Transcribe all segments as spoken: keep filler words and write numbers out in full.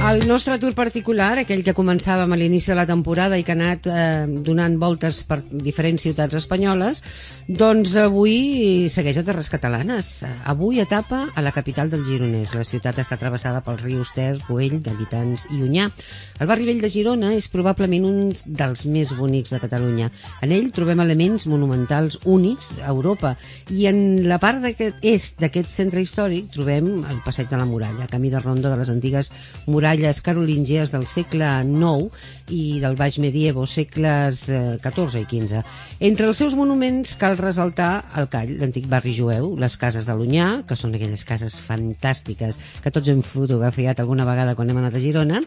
El nostre tour particular, aquell que començàvem a l'inici de la temporada i que ha anat eh, donant voltes per diferents ciutats espanyoles, doncs avui segueix a Terres Catalanes. Avui etapa a la capital del Gironès. La ciutat està travessada pels rius Ter, Güell, Gallitands i Onyar. El barri vell de Girona és probablement un dels més bonics de Catalunya. En ell trobem elements monumentals únics a Europa i en la part d'aquest est d'aquest centre històric trobem el Passeig de la Muralla, camí de ronda de les antigues muralles carolíngies del segle nou i del baix medievo, segles catorze i quinze. Entre els seus monuments cal resaltar el Call, l'antic barri jueu, les cases de l'Onyar, que són aquelles cases fantàstiques que tots hem fotografiat alguna vegada quan hem anat a Girona,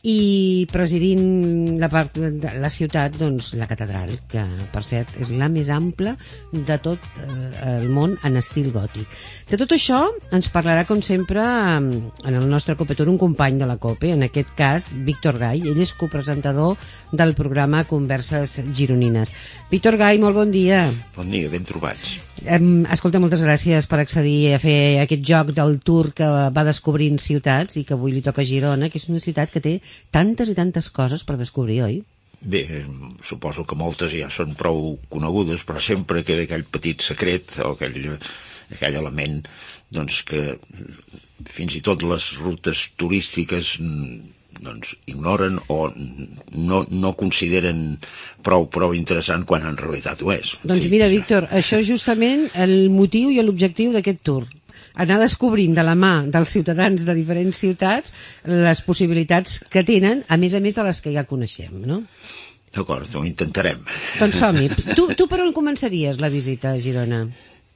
i presidint la part de la ciutat, doncs la catedral, que per cert és la més ampla de tot el món en estil gòtic. De tot això ens parlarà, com sempre, en el nostre Copetour un company de la COPE, en aquest cas Víctor Gai. Ell és copresentador del programa Converses Gironines. Víctor Gai, molt bon dia. Bon dia, ben trobats. Escolta, moltes gràcies per accedir a fer aquest joc del tour que va descobrint ciutats i que avui li toca a Girona, que és una ciutat que té tantes i tantes coses per descobrir, oi? Bé, suposo que moltes ja són prou conegudes, però sempre queda aquell petit secret o aquell, aquell element doncs, que fins i tot les rutes turístiques doncs, ignoren o no, no consideren prou, prou interessant quan en realitat ho és. Doncs mira, Víctor, això és justament el motiu i l'objectiu d'aquest tour. Anar descobrint de la mà dels ciutadans de diferents ciutats les possibilitats que tenen, a més a més de les que ja coneixem, no? D'acord, ho intentarem. Doncs som-hi. Tu, tu per on començaries la visita a Girona?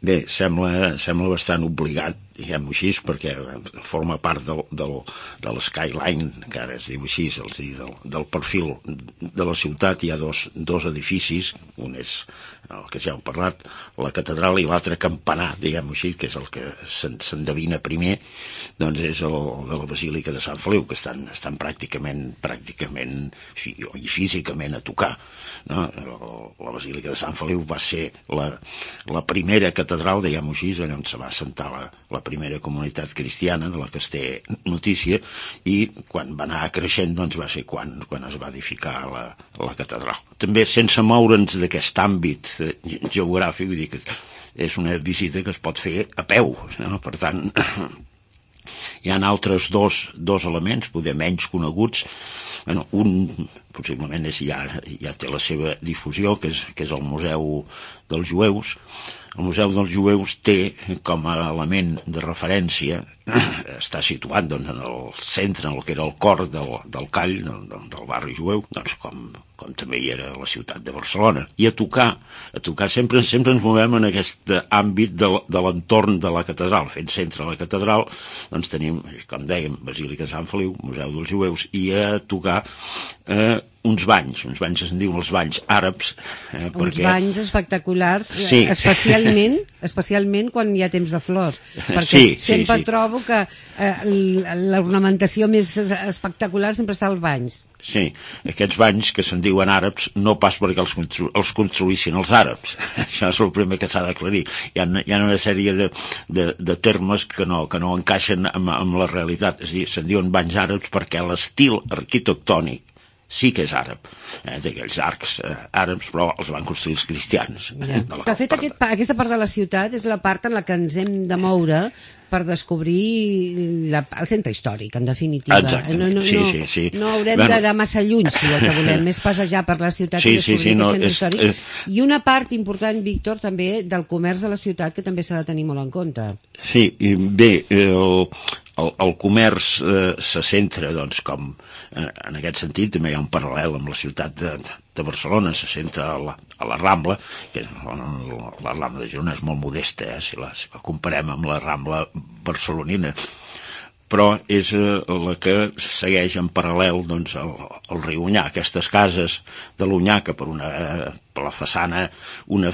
Bé, sembla, sembla bastant obligat, diguem-ho així, perquè forma part del, del, de l'skyline, que ara es diu així, el, del, del perfil de la ciutat. Hi ha dos, dos edificis, un és el que ja heu parlat, la catedral, i l'altre campanar, diguem-ho així, que és el que s'endevina primer, doncs és el de la Basílica de Sant Feliu, que estan, estan pràcticament, pràcticament i físicament a tocar, no? La Basílica de Sant Feliu va ser la, la primera catedral, diguem-ho així, allà on se va assentar la, la primera comunitat cristiana, de la que es té notícia, i quan va anar creixent, doncs va ser quan, quan es va edificar la, la catedral. També sense moure'ns d'aquest àmbit geogràfic, vull dir que és una visita que es pot fer a peu, no? Per tant, hi ha altres dos, dos elements, poder menys coneguts. Bueno, un possiblement és, ja, ja té la seva difusió, que és, que és el Museu dels Jueus. El Museu dels Jueus té com a element de referència, està situat doncs, en el centre, en el que era el cor del, del Call, del, del barri jueu, doncs, com, com també hi era la ciutat de Barcelona. I a tocar, a tocar sempre, sempre ens movem en aquest àmbit de, de l'entorn de la catedral. Fent centre a la catedral, doncs tenim, com dèiem, Basílica de Sant Feliu, Museu dels Jueus, i a tocar eh, uns banys, uns banys que se'n diuen els banys àrabs. Eh, uns perquè... banys espectaculars, sí. especialment, especialment quan hi ha temps de flors, perquè sí, sempre sí, sí. trobo que eh, l'ornamentació més espectacular sempre està als banys. Sí, aquests banys que se'n diuen àrabs no pas perquè els, constru els construïssin els àrabs. Això és el primer que s'ha d'aclarir. Hi ha, hi ha una sèrie de, de, de termes que no, que no encaixen amb, amb la realitat. És a dir, se'n diuen banys àrabs perquè l'estil arquitectònic sí que és àrab, eh, d'aquells arcs eh, àrabs, però els van construir els cristians. Ja. De, de fet, aquest, aquesta part de la ciutat és la part en la que ens hem de moure per descobrir la, el centre històric, en definitiva. Exactament, no, no, sí, no, sí, sí. No haurem bueno, d'anar massa lluny, si el que volem és passejar per la ciutat sí, i descobrir sí, sí, aquest no, centre és, històric. Eh... I una part important, Víctor, també del comerç de la ciutat, que també s'ha de tenir molt en compte. Sí, bé, el, el, el comerç eh, se centra, doncs, com eh, en aquest sentit, també hi ha un paral·lel amb la ciutat de, de Barcelona, se centra a la, a la Rambla, que la, la Rambla de Girona és molt modesta, eh, si, la, si la comparem amb la Rambla barcelonina, però és eh, la que segueix en paral·lel doncs, el, el riu Onyar, aquestes cases de l'Onyar, que per, una, eh, per la façana, una,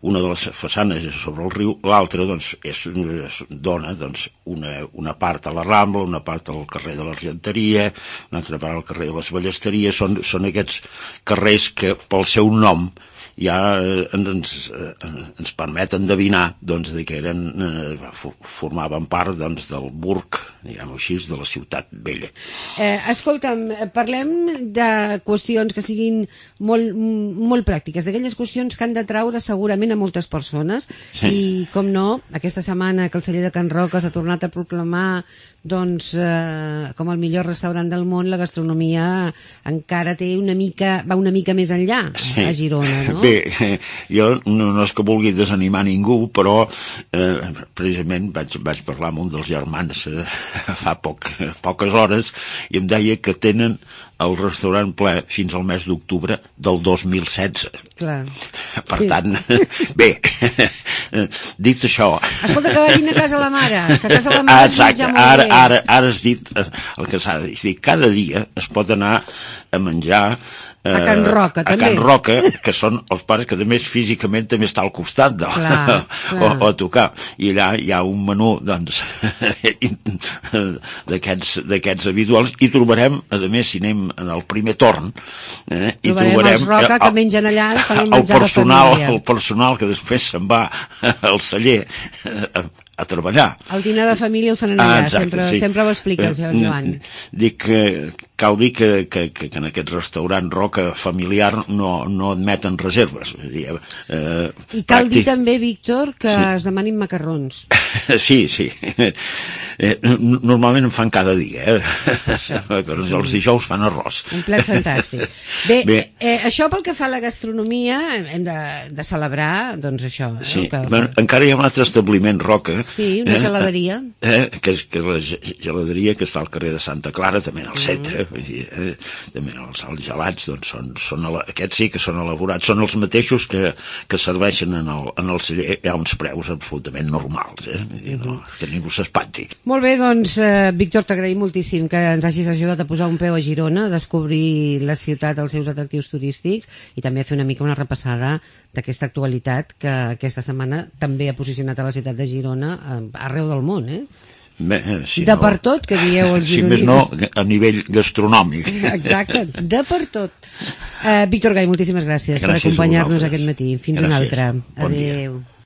una de les façanes és sobre el riu, l'altra doncs, és, és, dona doncs, una, una part a la Rambla, una part al carrer de l'Argenteria, una altra part al carrer de les Ballesteries. Són, són aquests carrers que pel seu nom ja ens, ens permet endevinar doncs, de que eren, eh, formaven part doncs, del burg, diguem-ho així, de la ciutat vella. Eh, escolta'm, parlem de qüestions que siguin molt, molt pràctiques, d'aquelles qüestions que han de traure segurament a moltes persones, sí. I com no, aquesta setmana que el celler de Can Roca s'ha tornat a proclamar doncs, eh, com el millor restaurant del món, la gastronomia encara té una mica, va una mica més enllà, sí. A Girona, no? Bé, jo no, no és que vulgui desanimar ningú, però eh, precisament vaig, vaig parlar amb un dels germans eh, fa poc, poques hores i em deia que tenen el restaurant ple fins al mes d'octubre del dos mil setze. Clar. Per sí. tant, bé, dit això... Escolta, que vagin a casa la mare, que a casa la mare es menja molt ara, bé. Ara, ara has dit el que s'ha de dir. És dir, cada dia es pot anar a menjar a Can Roca, a també. Can Roca, que són els pares que també físicament també està al costat de, clar, clar. O, o a tocar. I allà hi ha un menú doncs, d'aquests habituals i trobarem, a més, si anem en el primer torn, eh, i trobarem, trobarem els Roca el, que mengen allà el, el personal, el personal que després se'n va al celler a, a treballar. El dinar de família el fan allà, ah, exacte, sempre, sí. Sempre ho explica el Joan. Dic que cal dir que, que, que en aquest restaurant Roca familiar no, no admeten reserves. Eh, I cal pràctic... dir també, Víctor, que sí. Es demanin macarrons. Sí, sí. Eh, normalment en fan cada dia, eh? Els dijous fan arròs. Un plat fantàstic. Bé, Bé. Eh, això pel que fa a la gastronomia hem de, de celebrar, doncs això. Sí. Eh, que... bueno, encara hi ha un altre establiment, Roca. Sí, una eh, geladeria. Eh, que, és, que és la geladeria que està al carrer de Santa Clara, també en el centre. Mm. Vull dir, eh, també els, els gelats, doncs, són, són, aquests sí que són elaborats, són els mateixos que, que serveixen en el, en el celler, hi ha uns preus absolutament normals, eh? Vull dir, no, que ningú s'espanti. Molt bé, doncs, eh, Víctor, t'agraïm moltíssim que ens hagis ajudat a posar un peu a Girona, a descobrir la ciutat, els seus atractius turístics i també a fer una mica una repassada d'aquesta actualitat que aquesta setmana també ha posicionat a la ciutat de Girona eh, arreu del món, eh? Bé, si de no, per tot, que dieu els Si gironins. més no, a nivell gastronòmic. Exacte, de per tot. Uh, Víctor Gai, moltíssimes gràcies, gràcies per acompanyar-nos aquest matí. Fins gràcies. Una altra. Bon Adéu. Dia.